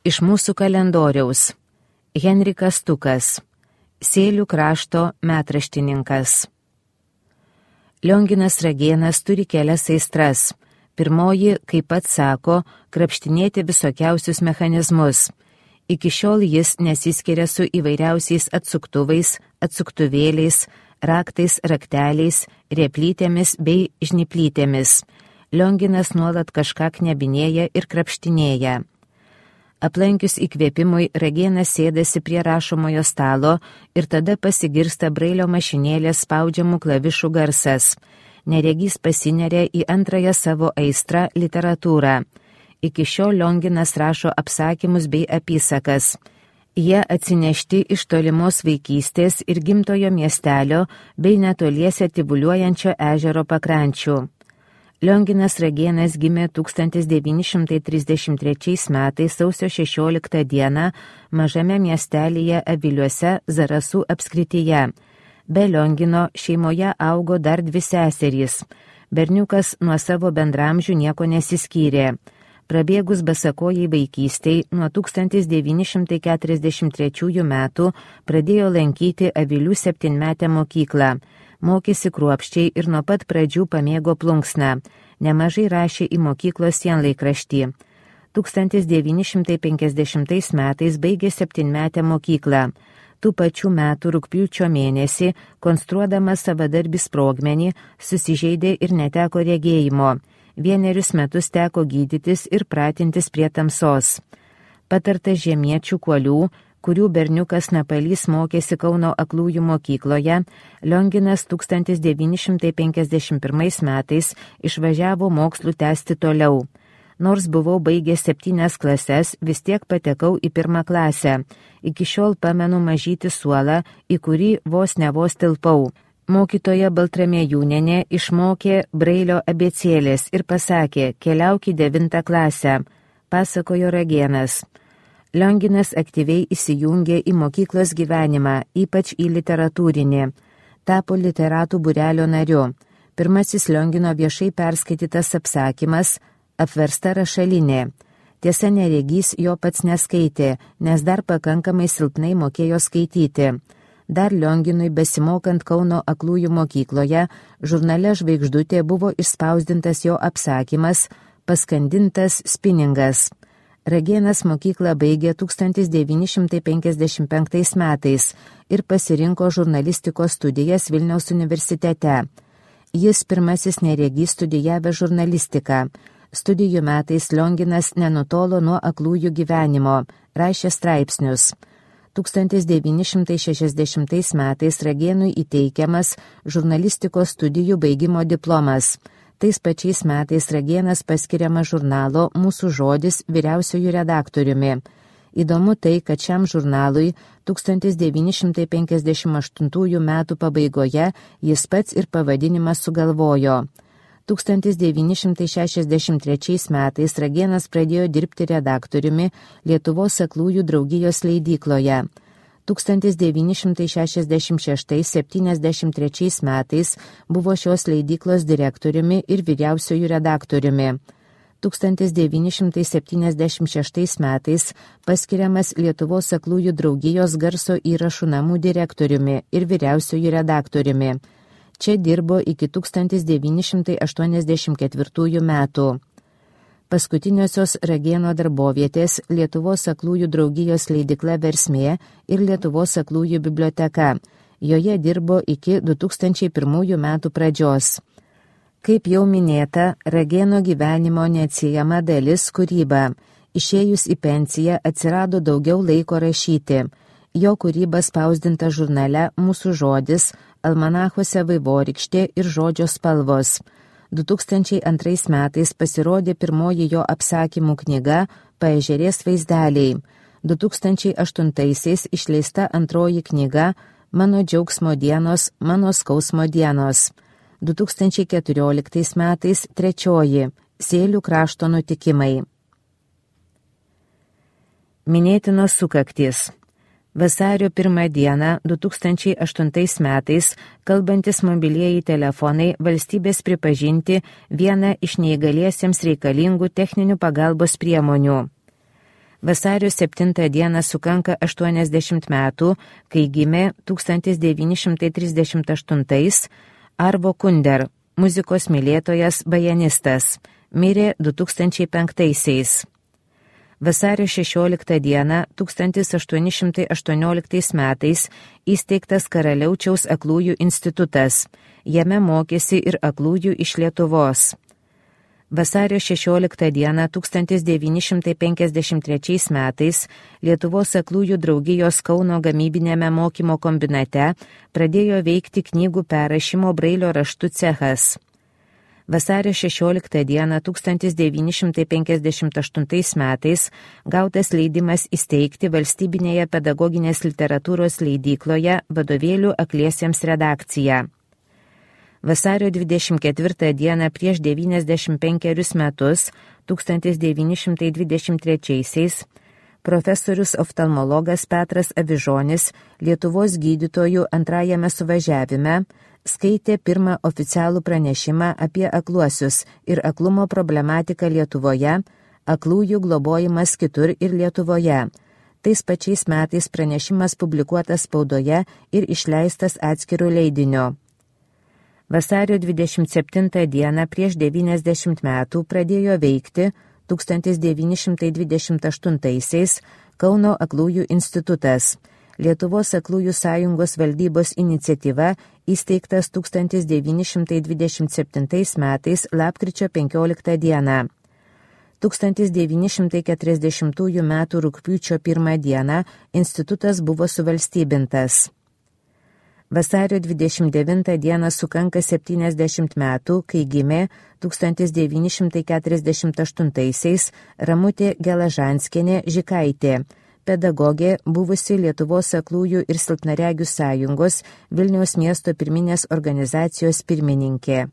Iš mūsų kalendoriaus. Henrikas Tukas, Sėlių krašto metraštininkas. Lionginas Ragėnas turi kelias aistras. Pirmoji, kaip pats sako, krapštinėti visokiausius mechanizmus. Iki šiol jis nesiskiria su įvairiausiais atsuktuvais, atsuktuvėliais, raktais, rakteliais, replytėmis bei žnyplytėmis. Lionginas nuolat kažką knebinėja ir krapštinėja. Aplankius įkvėpimui, Ragėnas sėdasi prie rašomojo stalo ir tada pasigirsta brailio mašinėlės spaudžiamų klavišų garsas. Neregys pasineria į antrąją savo aistrą – literatūrą. Iki šiol Lionginas rašo apsakymus bei apysakas. Jie atsinešti iš tolimos vaikystės ir gimtojo miestelio bei netoliese tyvuliuojančio ežero pakrančių. Lionginas Ragėnas gimė 1933 metais sausio 16 dieną mažame miestelyje Aviliuose Zarasų apskrityje. Be Liongino šeimoje augo dar 2 seserys. Berniukas nuo savo bendramžių nieko nesiskyrė. Prabėgus basakojai vaikystei, nuo 1943 metų pradėjo lankyti Avilių 7-metę mokyklą. Mokėsi kruopščiai ir nuo pat pradžių pamėgo plunksną. Nemažai rašė į mokyklos sienlaikraštį. 1950 metais baigė 7-metę mokyklą. Tų pačių metų rugpjūčio mėnesį, konstruodamas savadarbį sprogmenį, susižeidė ir neteko regėjimo. 1 metus teko gydytis ir pratintis prie tamsos. Patartas žemiečių kuolių, kurių berniukas Napalys mokėsi Kauno aklųjų mokykloje, Lionginas 1951 metais išvažiavo mokslų tęsti toliau. Nors buvau baigęs 7 klases, vis tiek patekau į 1 klasę. Iki šiol pamenu mažytį suolą, į kurį vos tilpau. Mokytoja Baltramiejūnienė išmokė brailio abėcėlės ir pasakė, keliauk į 9 klasę, pasakojo Ragėnas. Lionginas aktyviai įsijungė į mokyklos gyvenimą, ypač į literatūrinį. Tapo literatų būrelio nariu. Pirmasis Liongino viešai perskaitytas apsakymas Apversta rašalinė. Tiesa, neregys jo pats neskaitė, nes dar pakankamai silpnai mokėjo skaityti. Dar Lionginui besimokant Kauno aklųjų mokykloje, žurnale Žvaigždutė buvo išspausdintas jo apsakymas Paskandintas spiningas. Ragėnas mokyklą baigė 1955 metais ir pasirinko žurnalistikos studijas Vilniaus universitete. Jis pirmasis neregys studijavęs žurnalistiką. Studijų metais Lionginas nenutolo nuo aklųjų gyvenimo, rašė straipsnius. 1960 metais Ragėnui įteikiamas žurnalistikos studijų baigimo diplomas. Tais pačiais metais Ragėnas paskiriamas žurnalo Mūsų žodis vyriausiuoju redaktoriumi. Įdomu tai, kad šiam žurnalui 1958 metų pabaigoje jis pats ir pavadinimą sugalvojo. 1963 metais Ragėnas pradėjo dirbti redaktoriumi Lietuvos aklųjų draugijos leidykloje. 1966–73 metais buvo šios leidyklos direktoriumi ir vyriausiuoju redaktoriumi. 1976 metais paskiriamas Lietuvos aklųjų draugijos garso įrašų namų direktoriumi ir vyriausiuoju redaktoriumi. Čia dirbo iki 1984 metų. Paskutiniosios Ragėno darbovietės Lietuvos aklųjų draugijos leidykla Versmė ir Lietuvos aklųjų biblioteka. Joje dirbo iki 2001 metų pradžios. Kaip jau minėta, Ragėno gyvenimo neatsiejama dalis kūryba. Išėjus į pensiją atsirado daugiau laiko rašyti. Jo kūryba spausdinta žurnale Mūsų žodis, almanachuose Vaivorykštė ir Žodžio spalvos. 2002 metais pasirodė pirmoji jo apsakymų knyga Paežerės vaizdeliai. 2008 išleista antroji knyga Mano džiaugsmo dienos, mano skausmo dienos. 2014 metais trečioji Sėlių krašto nutikimai. Minėtinos sukaktys. Vasario 1 dieną 2008 metais kalbantis mobilieji telefonai valstybės pripažinti vieną iš neįgaliesiems reikalingų techninių pagalbos priemonių. Vasario 7 dieną sukanka 80 metų, kai gimė 1938 Arvo Kunder, muzikos mylėtojas bajanistas, mirė 2005. Vasario 16 dieną 1818 metais įsteigtas Karaliaučiaus aklųjų institutas. Jame mokėsi ir aklųjų iš Lietuvos. Vasario 16 dieną 1953 metais Lietuvos aklųjų draugijos Kauno gamybinėme mokymo kombinate pradėjo veikti knygų perrašymo brailio raštu cechas. Vasario 16 dieną 1958 metais gautas leidimas įsteigti valstybinėje pedagoginės literatūros leidykloje vadovėlių akliesiems redakciją. Vasario 24 dieną prieš 95 metus, 1923, profesorius oftalmologas Petras Avižonis Lietuvos gydytojų antrajame suvažiavime skaitė pirmą oficialų pranešimą apie akluosius ir aklumo problematiką Lietuvoje, aklųjų globojimas kitur ir Lietuvoje. Tais pačiais metais pranešimas publikuotas spaudoje ir išleistas atskiru leidiniu. Vasario 27 dieną prieš 90 metų pradėjo veikti 1928 Kauno aklųjų institutas. Lietuvos aklųjų sąjungos valdybos iniciatyva įsteigtas 1927 metais lapkričio 15 dieną. 1940 metų rugpjūčio 1 dieną institutas buvo suvalstybintas. Vasario 29 dieną sukanka 70 metų, kai gimė 1948 Ramutė Gelažanskienė Žikaitė, pedagogė, buvusi Lietuvos aklųjų ir silpnaregių sąjungos Vilniaus miesto pirminės organizacijos pirmininkė.